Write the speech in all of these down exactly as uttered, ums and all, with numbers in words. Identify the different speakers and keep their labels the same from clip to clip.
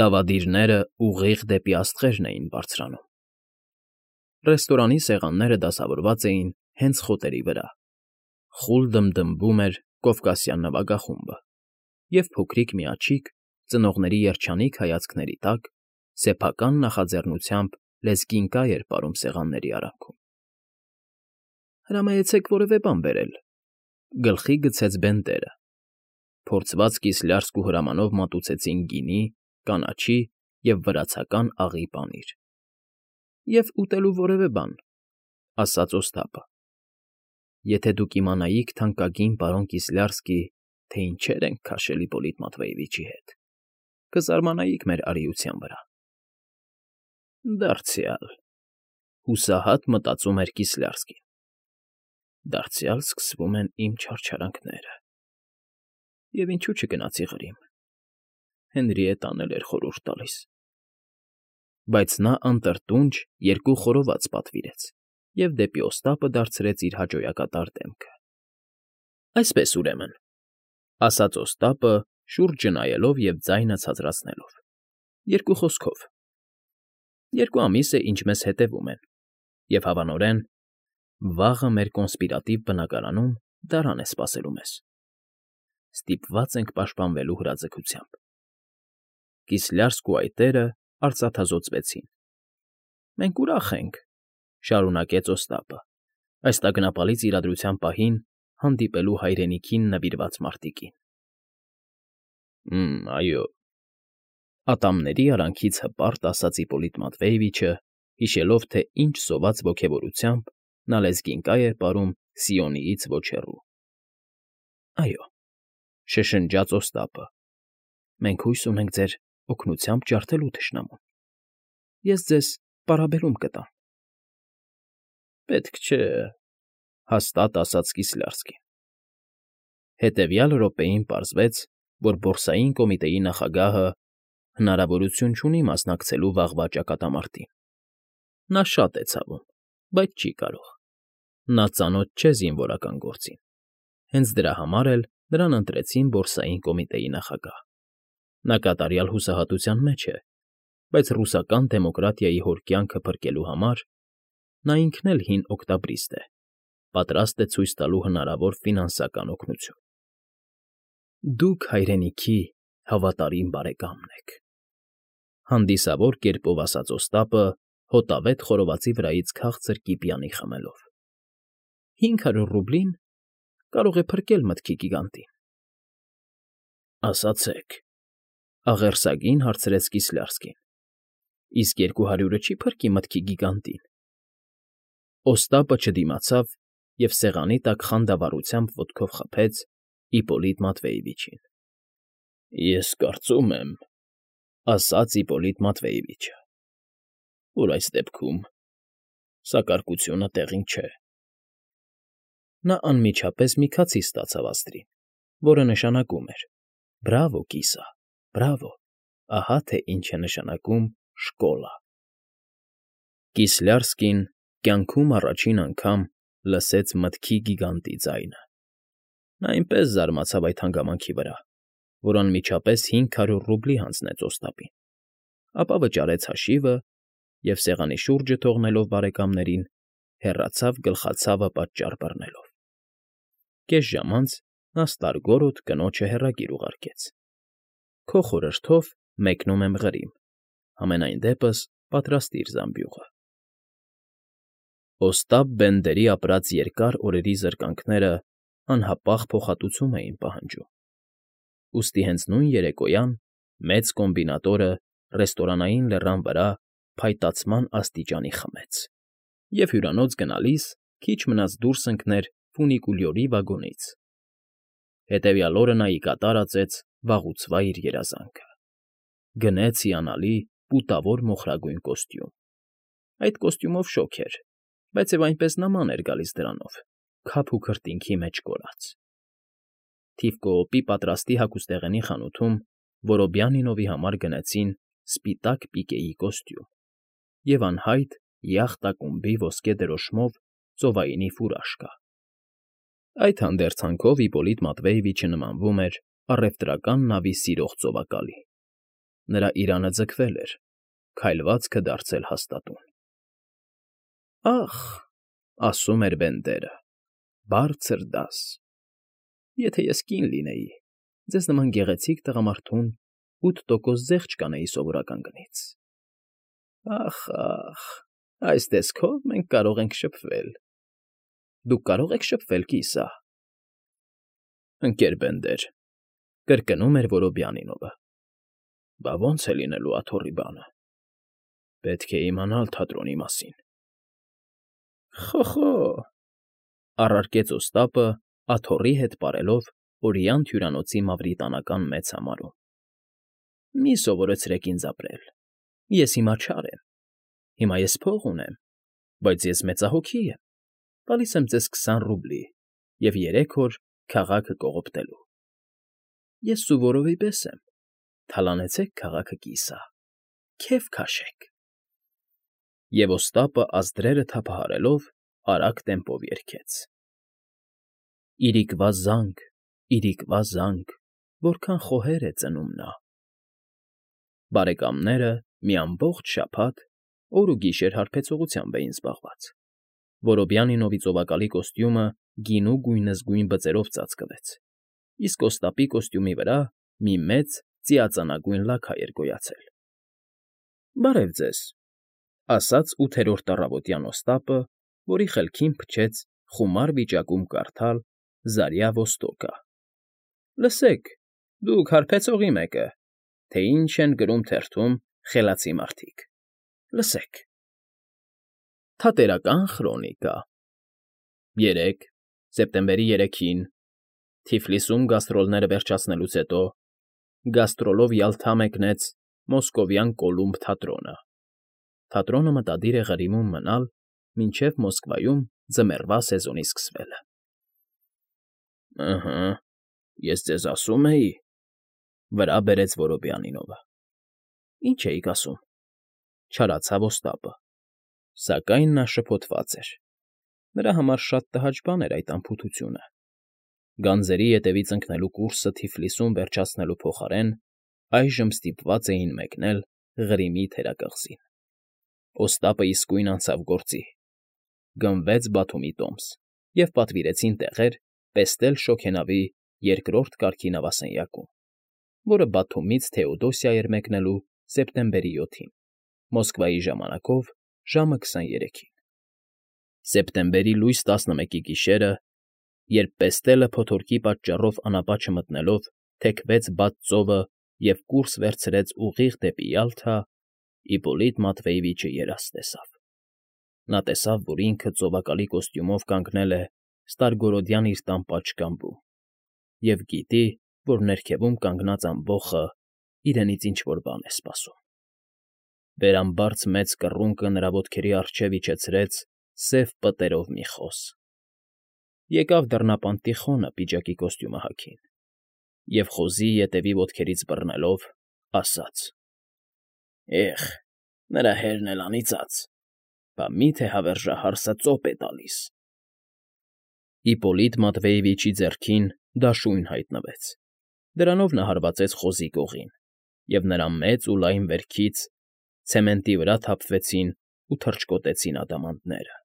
Speaker 1: Դավադիրները ուղիղ դեպի աստղերն էին բարձրանում։ Ռեստորանի սեղանները դասավորված էին հենց խոտերի վրա, խուլ դմդմվում էր կովկասյան նվագախումբը, և փոքրիկ մի աջիկ, ծնողների երջանիկ հայացքների տակ, սեփական նախաձեռնությամբ լեզկին կայ էր պարում սեղանների արանքում։ ֊ Հրամայեցեք որևէ բան բերել,֊ գլխի գցեց Բենդերը։ Փորձված կիսլյարսկ ու հրամանով մատուցեցին գինի, կանաչի և վրացական աղի պանիր։ ֊ Եվ ուտելու որևէ բան,֊ ասաց Օստապը։ Եթե դուք իմանայիք, թանկագին պարոն Կիսլյարսկի, թե ինչեր ենք քաշել Իպոլիտ Մատվեևիչի հետ, կզարմանայիք մեր արիության վրա։ Դարձյալ,֊ հուսահատ մտածում էր Կիսլյարսկին,֊ դարձյալ սկսվում են իմ չարչարանքները։ Եվ ինչու չգնացի Ղրիմ, Հենրիետտան էլ էր խորհուրդ տալիս։ Բայց նա անտրտունջ երկու խորոված պատվիրեց և դեպի Օստապը դարձրեց իր հաճոյակատար դեմքը։ ֊ Այսպես, ուրեմն,֊ ասաց Օստապը, շուրջը նայելով և ձայնը ցածրացնելով,֊ երկու խոսքով, երկու ամիս է, ինչ մեզ հետևում են, և, հավանորեն, վաղը մեր կոնսպիրատիվ բնակարանում դարան է սպասելու մեզ։ Ստիպված ենք պաշտպանվելու հրաձգությամբ։ Կիսլյարսկու այտերը արծաթազօծվեցին։ ֊ Մենք ուրախ ենք,֊ շարունակեց Օստապը,֊ այս տագնապալից իրադրության պահին հանդիպելու հայրենիքին նվիրված մարտիկին։ ֊ Հը՛մ, այո,֊ ատամների արանքից հպարտ ասաց Իպոլիտ Մատվեևիչը, հիշելով, թե ինչ սոված ոգևորությամբ նա լեզկին կայ էր պարում Սիոնիից ոչ հեռու։ ֊ Այո,֊ շշնջաց Օստապը,֊ մենք հույս ունենք ձեր օգնությամբ ջարդելու թշնամուն։ Ես ձեզ պարաբելում կտամ։ ֊ Պետք չէ,֊ հաստատ ասաց Կիսլյարսկին։ Հետևյալ րոպեին պարզվեց, որ Բորսային կոմիտեի նախագահը հնարավորություն չունի մասնակցելու վաղվա ճակատամարտին։ Նա շատ է ցավում, բայց չի կարող։ Նա ծանոթ չէ զինվորական գործին։ Հենց դրա համար էլ նրան ընտրեցին Բորսային կոմիտեի նախագահ։ Նա կատարյալ հուսահատության մեջ է, բայց ռուսական դեմոկրատիայի հոր կյանքը փրկելու համար նա ինքն էլ հին օկտաբրիստ է, պատրաստ է ցույց տալու հնարավոր ֆինանսական օգնություն։ Դուք հայրենիքի հավատարիմ բարեկամն եք,֊ հանդիսավոր կերպով ասաց Օստապը, հոտավետ խորովածի վրայից քաղցր կիպյանի խմելով։ ֊ Հինգ հարյուր ռուբլին կարող է փրկել մտքի գիգանտին։ ֊ Ասացեք,֊ աղերսագին հարցրեց Կիսլյարսկին,֊ իսկ երկու հարյուրը չի՞ փրկի մտքի գիգանտին։ Օստապը չդիմացավ և սեղանի տակ խանդավառությամբ ոտքով խփեց Իպոլիտ Մատվեևիչին։ ֊ Ես կարծում եմ,֊ ասաց Իպոլիտ Մատվեևիչը,֊ որ այս դեպքում սակարկությունը տեղին չէ։ Նա անմիջապես մի քացի ստացավ աստրին, որը նշանակում էր. «Բրավո, կիսա, բրավո, ահա թե ինչ է նշանակում շկոլա»։ Կիսլյարսկին կյանքում առաջին անգամ լսեց մտքի գիգանտի ձայնը։ Նա այնպես զարմացավ այդ հանգամանքի վրա, որ անմիջապես հինգ հարյուր ռուբլի հանձնեց Օստապին, ապա վճարեց հաշիվը և, սեղանի շուրջը թողնելով բարեկամներին, հեռացավ գլխացավը պատճառ բռնելով։ Կես ժամ անց նա ստարգոռոտ կնոջը հեռագիր ուղարկեց. «Քո խորհրդով մեկնում եմ Ղրիմ, համենայն դեպս պատրաստիր զամբյուղը»։ Օստապ Բենդերի ապրած երկար օրերի զրկանքները անհապաղ փոխհատուցում էին պահանջում, ուստի հենց նույն երեկոյան մեծ կոմբինատորը ռեստորանային լեռան վրա փայտացման աստիճանի խմեց և հյուրանոց գնալիս քիչ մնաց դուրս ընկներ ֆունիկուլյորի վագոնից։ Հետևյալ օրը նա ի կատար ածեց վաղուցվա իր երազանքը։ Գնեց հիանալի պուտավոր մոխրագույն կոստյում։ Այդ կոստյումով շոգ էր, բայց և այնպես նման էր գալիս դրանով, քափ ու քրտինքի մեջ կորած։ Թիվկոոպի պատրաստի հագուստեղենի խանութում Որոբյանինովի համար գնեցին սպիտակ պիկեի կոստյում և անհայտ յախտ ակումբի ոսկե դրոշմով ծովայինի ֆուրաշկա։ Այդ հանդերձանքով Իպոլիտ Մատվեևիչը նմանվում էր առևտրական նավի սիրող ծովակալի։ Նրա իրանը ձգվել էր, քայլվածքը դարձել հաստատուն։ «Ա՜խ,֊ ասում էր Բենդերը,֊ բարձր դաս… Եթե ես կին լինեի, ձեզ նման գեղեցիկ տղամարդուն ութ տոկոս զեղչ կանեի սովորական գնից… Ա՜խ, ա՜խ, այս տեսքով մենք կարող ենք շփվել… Դուք կարո՞ղ եք շփվել, կիսա…»։ ֊ Ընկեր Բենդեր,֊ կրկնում էր Որոբյանինովը,֊ բա ո՞նց է լինելու աթոռի բանը… Պետք է իմանալ թատրոնի մասին… ֊ Խո՜խո՜,֊ առարկեց Օստապը, աթոռի հետ պարելով Օրիանտ հյուրանոցի մավրիտանական մեծ համարում։֊ Մի սովորեցրեք ինձ ապրել… Ես հիմա չար եմ, հիմա ես փող ունեմ, բայց ես մեծահոգի եմ, տալիս եմ ձեզ քսան ռուբլի և երեք օր քաղաքը կողոպտելու… Ես Սուվորովի պես եմ, թալանեցեք քաղաքը, կիսա… Քեֆ քաշեք… Եվ Օստապը ազդրերը թափահարելով արագ տեմպով երգեց. Իրիկվա զանգ, իրիկվա զանգ, Որքան խոհեր է ծնում նա… Բարեկամները մի ամբողջ շաբաթ օր ու գիշեր հարբեցողությամբ էին զբաղված. Որոբյանինովի ծովակալի կոստյումը գինու գույնզգույն բծերով ծածկվեց, իսկ Օստապի կոստյումի վրա մի մեծ ծիածանագույն լաքա էր գոյացել։ ֊ Բարև ձեզ,֊ ասաց ութերորդ առավոտյան Օստապը, որի խելքին փչեց խումար վիճակում կարդալ «Զարյա Ոստոկը»։ ֊ Լսեք, դուք հարբեցողի մեկը, թե ինչ են գրում թերթում խելացի մարդիկ… Լսեք… Թատերական խրոնիկա… Երեկ, սեպտեմբերի երեքին, Թիֆլիսում գաստրոլները վերջացնելուց հետո գաստրոլով Յալթա մեկնեց Մոսկովյան Կոլումբ թատրոնը… Թատրոնը մտադիր է Ղրիմում մնալ մինչև Մոսկվայում ձմեռվա սեզոնի սկսվելը։ ֊ Ըհը, ես ձեզ ասում էի,֊ վրա բերեց Որոբյանինովը։ ֊ Ինչ էիք ասում,֊ չարացավ Օստապը, սակայն նա շփոթված էր. նրա համար շատ տհաճ բան էր այդ անփութությունը… Գանձերի ետևից ընկնելու կուրսը Թիֆլիսում վերջացնելու փոխարեն այժմ ստիպված էին մեկնել Ղրիմի թերակղզին… Օստապը իսկույն անցավ գործի, գնվեց Բաթումի տոմս և պատվիրեցին տեղեր Պեստել Շոգենավի երկրորդ կարգի նավասենյակում, որը Բաթումից Թեոդոսիա էր մեկնելու սեպտեմբերի յոթին, Մոսկվայի ժամանակով ժամը քսաներեքին։ Սեպտեմբերի լույս տասնմեկի գիշերը, երբ Պեստելը փոթորկի պատճառով անապա չմտնելով թեքվեց բաց ծովը և կուրս վերցրեց ուղիղ դեպի Յալթա, Իպոլիտ Մատվեևիչը երազ տեսավ… Նա տեսավ, որ ինքը ծովակալի կոստյումով կանգնել է ստարգորոդյան իր տան պատշգամբում և գիտի, որ ներքևում կանգնած ամբոխը իրենից ինչ֊որ բան է սպասում… Վերամբարձ մեծ կռունկը նրա ոտքերի առջև իջեցրեց սև պտերով մի խոզ… Եկավ դռնապան Տիխոնը պիջակի կոստյումը հագին և խոզի ետևի ոտքերից բռնելով, ասաց. «Էխ, նրա հերն էլ անիծած… Բա մի՞թե հավերժահար սա ծոպ է տալիս»։ Իպոլիտ Մատվեևիչի ձեռքին դաշույն հայտնվեց, դրանով նա հարվածեց խոզի կողին, և նրա մեծ ու լայն վերքից ցեմենտի վրա թափվեցին ու թռչկոտեցին ադամանդները…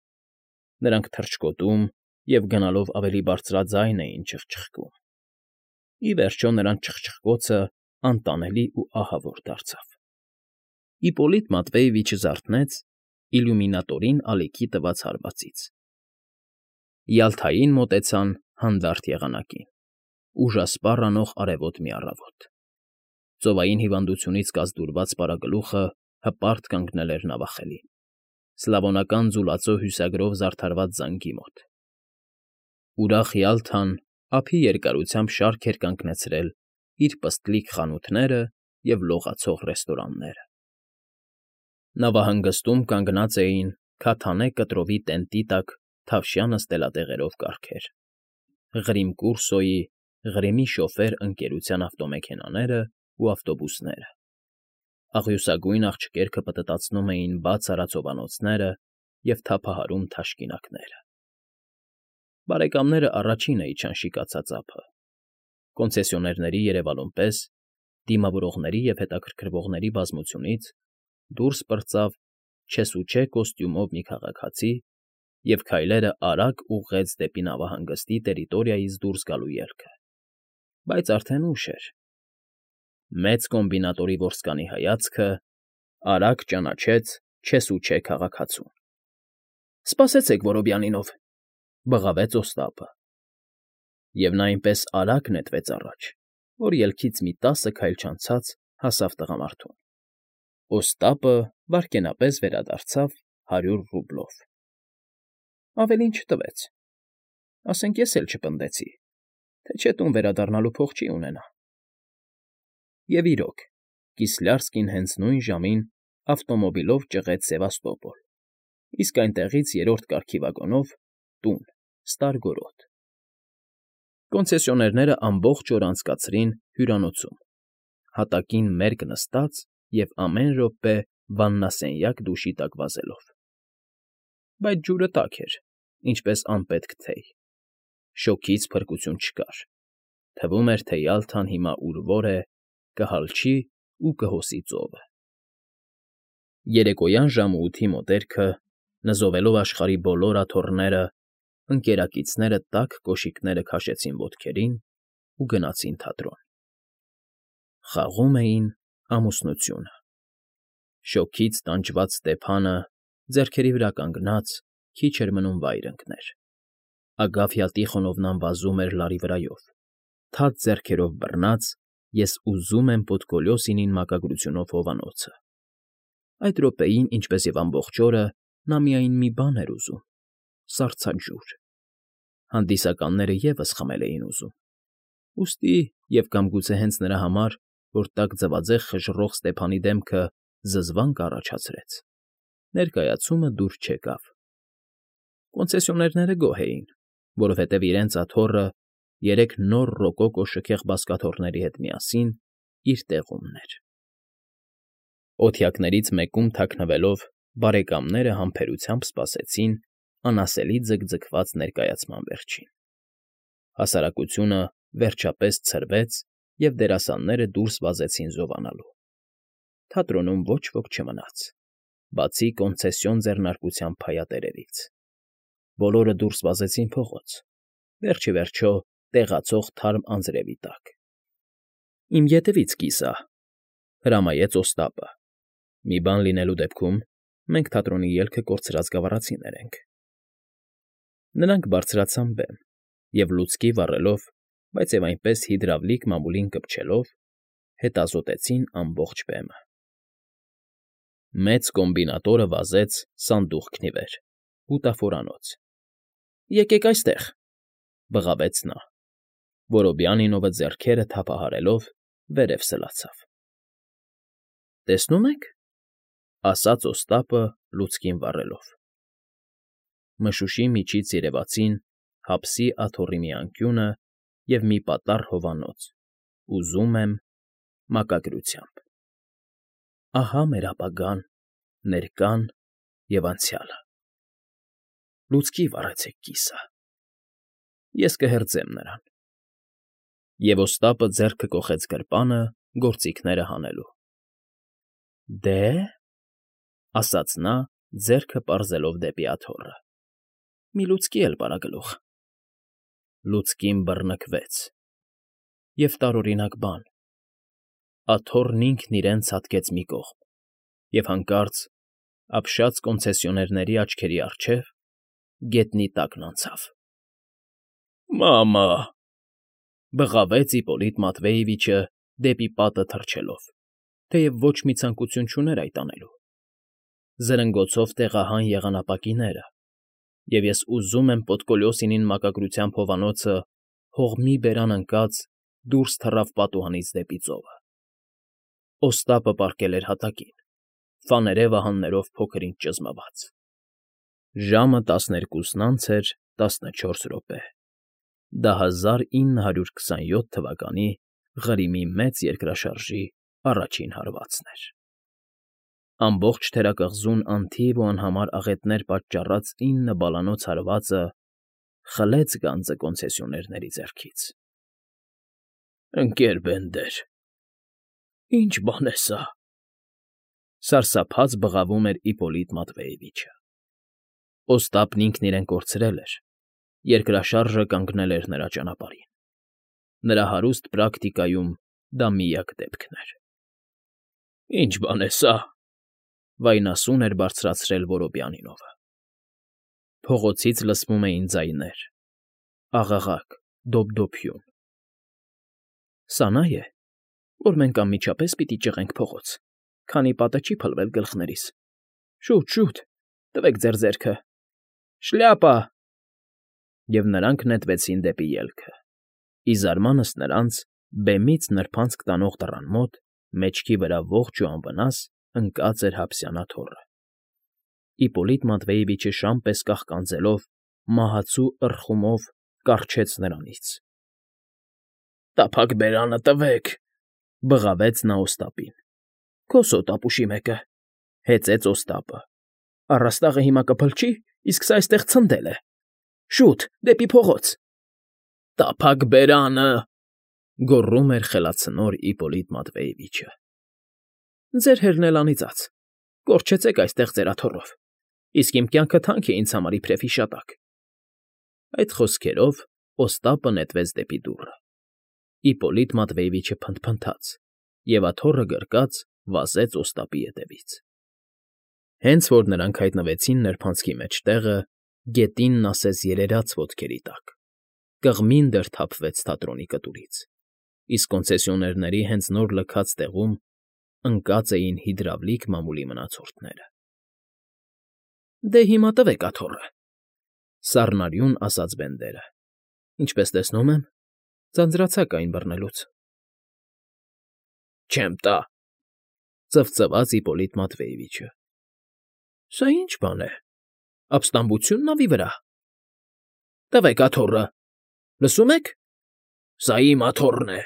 Speaker 1: Նրանք թռչկոտում և գնալով ավելի բարձրաձայն էին չխչխկում… Ի վերջո նրանց չխչխկոցը անտանելի ու ահավոր դարձավ… Իպոլիտ Մատվեևիչը զարթնեց իլյումինատորին ալիքի տված հարվածից… Յալթային մոտեցան հանդարտ եղանակին, ուժասպառ անող արևոտ մի առավոտ… Ծովային հիվանդությունից կազդուրված պարագլուխը հպարտ կանգնել էր նավախելին, սլավոնական ձուլածո հյուսագրով զարդարված զանգի մոտ… Ուրախ Յալթան ափի երկարությամբ շարք էր կանգնեցրել իր պստլիկ խանութները և լողացող ռեստորանները… Նավահանգստում կանգնած էին քաթանե կտրովի տենտի տակ թավշյա նստելատեղերով կառքեր, Ղրիմկուրսոյի, Ղրիմի շոֆեր ընկերության ավտոմեքենաներն ու ավտոբուսները… Աղյուսագույն աղջկերքը պտտացնում էին բաց արածովանոցները և թափահարում թաշկինակները… Բարեկամները առաջինը իջան շիկացած ափը, կոնցեսիոներների երևալուն պես դիմավորողների և հետաքրքրվողների բազմությունից դուրս պրծավ չեսուչե կոստյումով մի քաղաքացի և քայլերը արագ ուղղեց դեպի նավահանգստի տերիտորիայից դուրս գալու ելքը, բայց արդեն ուշ էր. մեծ կոմբինատորի որսկանի հայացքը արագ ճանաչեց չեսուչե քաղաքացուն։ ֊ Սպասեցեք, Որոբյանինով,֊ բղավեց Օստապը, և նա այնպես արագ նետվեց առաջ, որ ելքից մի տասը քայլ չանցած հասավ տղամարդուն։ Օստապը վայրկենապես վերադարձավ հարյուր ռուբլով։ Ավելին չտվեց, ասենք ես էլ չպնդեցի, թե չէ տուն վերադառնալու փող չի ունենա։ Եվ իրոք, Կիսլյարսկին հենց նույն ժամին ավտոմոբիլով ճղեց Սևաստոպոլ, իսկ այնտեղից երրորդ կարգի վագոնով՝ տուն, Ստարգորոտ։ Կոնցեսիոներները ամբողջ օր անցկացրին հյուրանոցում, հատակին մերկ նստած և ամեն րոպե վաննասենյակ դուշի տակ վազելով։ Բայց ջուրը տաք էր, ինչպես անպետք թեյ, շոգից փրկություն չկար, թվում էր, թե Յալթան հիմա ուր֊որ է, կհալչի ու կհոսի ծովը։ Երեկոյան ժամը ութի մոտերքը, նզովելով աշխարհի բոլոր աթոռները, ընկերակիցները տաք կոշիկները քաշեցին ոտքերին ու գնացին թատրոն։ Խաղում էին ամուսնությունը։ Շոգից տանջված Ստեփանը, ձեռքերի վրա կանգնած, քիչ էր մնում վայր ընկներ։ Ագաֆյա Տիխոնովնան վազում էր լարի վրայով, թաց ձեռքերով բռնած «Ես ուզում եմ» Պոդկոլյոսինին մակագրությունով հովանոցը։ Այդ րոպեին, ինչպես և ամբողջ օրը, նա միայն մի բան էր ուզում՝ սառցաջուր։ Հանդիսականները ևս խմել էին ուզում, ուստի և կամ գուցե հենց նրա համար, որ տաք ձվածեղ խժռող Ստեփանի դեմքը զզվանք առաջացրեց, ներկայացումը դուր չեկավ։ Կոնցեսիոներները գոհ էին, որովհետև իրենց աթոռը երեք նոր ռոկոկո շքեղ բազկաթոռների հետ միասին իր տեղումն էր։ Օթյակներից մեկում թաքնվելով՝ բարեկամները համբերությամբ սպասեցին անասելի ձգձգված ներկայացման վերջին։ Հասարակությունը վերջապես ցրվեց, և դերասանները դուրս վազեցին զովանալու։ Թատրոնում ոչ ոք չմնաց, բացի կոնցեսիոն ձեռնարկության փայատերերից։ Բոլորը դուրս վազեցին փողոց, վերջ ի վերջո տեղացող թարմ անձրևի տակ։ ֊ Իմ ետևից, կիսա,֊ հրամայեց Օստապը։ «Մի բան լինելու դեպքում մենք թատրոնի ելքը կորցրած գավառացիներ ենք»։ Նրանք բարձրացան բեմ և, լուցկի վառելով, բայց և այնպես հիդրավլիկ մամուլին կպչելով, հետազոտեցին ամբողջ բեմը։ Մեծ կոմբինատորը վազեց սանդուղքն ի վեր, բուտաֆորանոց։ ֊ Եկեք այստեղ,֊ բղավեց նա։ Որոբյանինովը ձեռքերը թափահարելով վերև սլացավ։ ֊ Տեսնո՞ւմ եք,֊ ասաց Օստապը լուցկին վառելով։ Մշուշի միջից երևացին հապսի աթոռի մի անկյունը և մի պատառ հովանոց, ուզում եմ, մակագրությամբ. «Ահա մեր ապագան, ներկան և անցյալը»։ Լուցկի վառեցեք, կիսա, ես կհերձեմ նրան։ Եվ Օստապը ձեռքը կոխեց գրպանը գործիքները հանելու։ ֊ Դե՞,֊ ասաց նա, ձեռքը պարզելով դեպի աթոռը,֊ մի լուցկի էլ, Բարագլուխ։ Լուցկին բռնկվեց, և տարօրինակ բան, աթոռն ինքն իրեն ցատկեց մի կողմ և հանկարծ, ապշած կոնցեսիոներների աչքերի առջև, գետնի տակն անցավ։ ֊ Մամա՜…֊ բղավեց Իպոլիտ Մատվեևիչը դեպի պատը թռչելով, թեև ոչ մի ցանկություն չուներ այդ անելու։ Զրնգոցով տեղահան եղան ապակիները, և ես ուզում եմ Պոդկոլյոսինին մակագրությամբ հովանոցը հող մի բերան ընկած դուրս թռավ պատուհանից դեպի ծովը։ Օստապը պառկել էր հատակին, ֆաներե վահաններով փոքր֊ինչ ճզմված։ Ժամը տասներկուսն անց էր տասնչորս րոպե։ Դա հազար ինը հարյուր քսանյոթ թվականի Ղրիմի մեծ երկրաշարժի առաջին հարվածն էր։ Ամբողջ թերակղզուն անթիվ ու անհամար աղետներ պատճառած ինը բալանոց հարվածը խլեց գանձը կոնցեսիոներների ձեռքից։ ֊ Ընկեր Բենդեր, Ի՞նչ բան է սա,֊ սարսափած բղավում էր Իպոլիտ Մատվեևիչը։ Օստապն ինքն իրեն կորցրել էր, երկրաշարժը կանգնել էր նրա ճանապարհին։ Նրա հարուստ պրակտիկայում դա միակ դեպքն էր։ ֊ Ի՞նչ բան է սա,֊ վայնասուն էր բարձրացրել Որոբյանինովը։ Փողոցից լսվում էին ձայներ, աղաղակ, դոփդոփյուն։ ֊ Սա նա է, որ մենք անմիջապես պիտի ճղենք փողոց, քանի պատը չի փլվել գլխներիս։ Շուտ, շուտ, տվեք ձեր ձեռքը… Շլյապա… Եվ նրանք նետվեցին դեպի ելքը։ Ի զարմանս նրանց, բեմից նրբանցք տանող դռան մոտ, մեջքի վրա ողջ ու անվնաս, ընկած էր Հաբսյանա թոռը։ Իպոլիտ Մատվեևիչը շան պես կաղկանձելով, մահացու ыռխումով կառչեց նրանից։ ֊ Տափակ բերանը տվեք,֊ բղավեց նա Օստապին։ ֊ Քո սոտ ապուշի մեկը,֊ հեծեց Օստապը։ ֊ Առաստաղը հիմա կփլչի, իսկ սա էստեղ ցնդել է… Շուտ, դեպի փողոց… ֊ Տափակ բերանը,֊ գոռում էր խելացնոր Իպոլիտ Մատվեևիչը։ ֊ Ձեր հերն էլ անիծած… Կորչեցեք այստեղ ձեր աթոռով, իսկ իմ կյանքը թանկ է ինձ համար իբրև հիշատակ… Այդ խոսքերով Օստապը նետվեց դեպի դուռը։ Իպոլիտ Մատվեևիչը փնթփնթաց և, աթոռը գրկած, վազեց Օստապի ետևից։ Հենց որ նրանք հայտնվեցին նրբանցքի մեջտեղը, գետինն ասես երերաց ոտքերի տակ, կղմինդր թափվեց թատրոնի կտուրից, իսկ կոնցեսիոներների հենց նոր լքած տեղում ընկած էին հիդրավլիկ մամուլի մնացորդները։ ֊ Դե հիմա տվեք աթոռը,֊ սառնարյուն ասաց Բենդերը։ ֊ Ինչպես տեսնում եմ, ձանձրացաք այն բռնելուց։ ֊ Չեմ տա,֊ ծվծվաց Իպոլիտ Մատվեևիչը։ ֊ Սա ի՞նչ բան է, ապստամբությո՞ւն նավի վրա։ ֊ Տվեք աթոռը, լսում եք, սա իմ աթոռն է,֊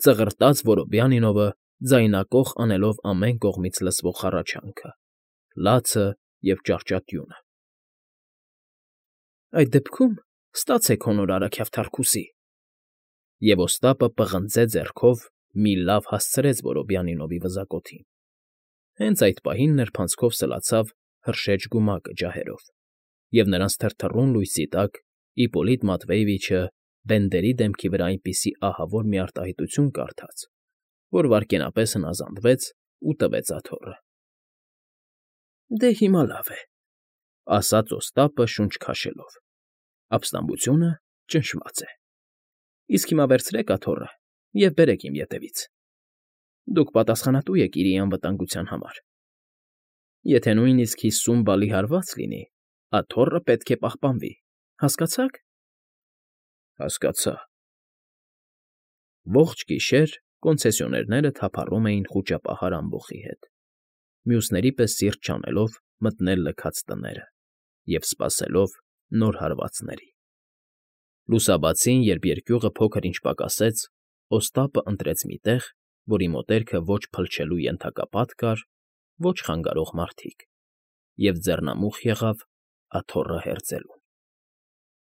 Speaker 1: ծղրտաց Որոբյանինովը, ձայնակոխ անելով ամեն կողմից լսվող հառաչանքը, լացը և ճառճատյունը։ ֊ Այդ դեպքում ստացեք հոնորարը Քյավթարկուսի…֊ Եվ Օստապը պղնձե ձեռքով մի լավ հասցրեց Որոբյանինովի վզակոթին։ Հենց այդ պահին նրբանցքով սլացավ հրշեջ գումակը ջահերով, և նրանց թրթռուն լույսի տակ Իպոլիտ Մատվեևիչը Բենդերի դեմքի վրա այնպիսի ահավոր մի արտահայտություն կարդաց, որ վայրկենապես հնազանդվեց ու տվեց աթոռը։ ֊ Դե հիմա լավ է,֊ ասաց Օստապը շունչ քաշելով,֊ ապստամբությունը ճնշված է։ Իսկ հիմա վերցրեք աթոռը և բերեք իմ ետևից։ Դուք պատասխանատու եք իրի անվտանգության համար։ Եթե նույնիսկ հիսուն բալի հարված լինի, աթոռը պետք է պահպանվի, հասկացա՞ք։ ֊ Հասկացա։ Ողջ գիշեր կոնցեսիոներները թափառում էին խուճապահար ամբոխի հետ, մյուսների պես սիրտ չանելով մտնել լքած տները և սպասելով նոր հարվածների։ Լուսաբացին, երբ երկյուղը փոքր֊ինչ պակասեց, Օստապը ընտրեց մի տեղ, որի մոտերքը ոչ փլչելու ենթակապատ կար, ոչ խանգարող մարդիկ, և ձեռնամուխ եղավ աթոռը հերձելուն։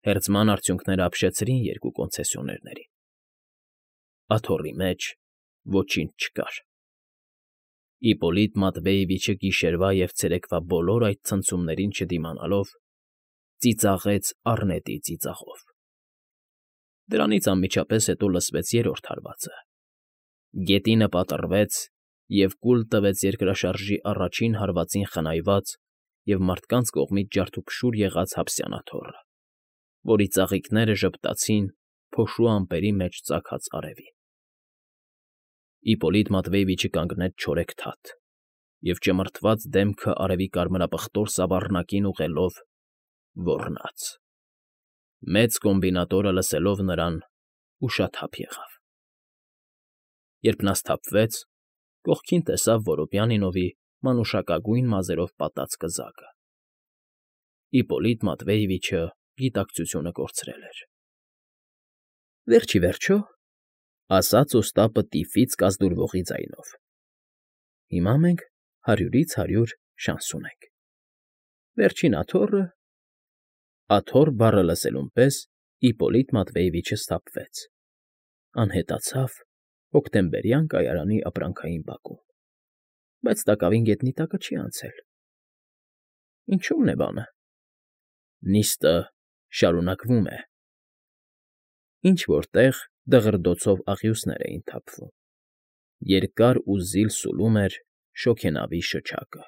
Speaker 1: Հերձման արդյունքները ապշեցրին երկու կոնցեսիոներներին։ Աթոռի մեջ ոչինչ չկար։ Իպոլիտ Մատվեևիչը գիշերվա և ցերեկվա բոլոր այդ ցնցումներին չդիմանալով, ծիծաղեց առնետի ծիծաղով։ Դրանից անմիջապես հետո լսվեց երրորդ հարվածը։ Գետինը պատռվեց և կուլ տվեց երկրաշարժի առաջին հարվածին խնայված և մարդկանց կողմից ջարդուփշուր եղած Հաբսյանաթոռը, որի ծաղիկները ժպտացին փոշու ամպերի մեջ ծագած արևին։ Իպոլիտ Մատվեևիչը կանգնեց չորեքթաթ և, ճմրթված դեմքը արևի կարմրապղտոր սավառնակին ուղղելով, ոռնաց։ Մեծ կոմբինատորը, լսելով նրան, ուշաթափ եղավ։ Երբ նա սթափվեց, կողքին տեսավ Որոբյանինովի մանուշակագույն մազերով պատած կզակը։ Իպոլիտ Մատվեևիչը գիտակցությունը կորցրել էր։ ֊ Վերջ ի վերջո,֊ ասաց Օստապը տիֆից կազդուրվողի ձայնով,֊ հիմա մենք հարյուրից հարյուր շանս ունենք։ Վերջին աթոռը… Աթոռ բառը լսելուն պես Իպոլիտ Մատվեևիչը սթափվեց, անհետացավ Հոկտեմբերյան կայարանի ապրանքային բակում, բայց տակավին գետնի տակը չի անցել։ Ինչո՞ւմն է բանը։ Նիստը շարունակվում է… Ինչ֊որ տեղ դղրդոցով աղյուսներ էին թափվում, երկար ու զիլ սուլում էր շոգենավի շչակը։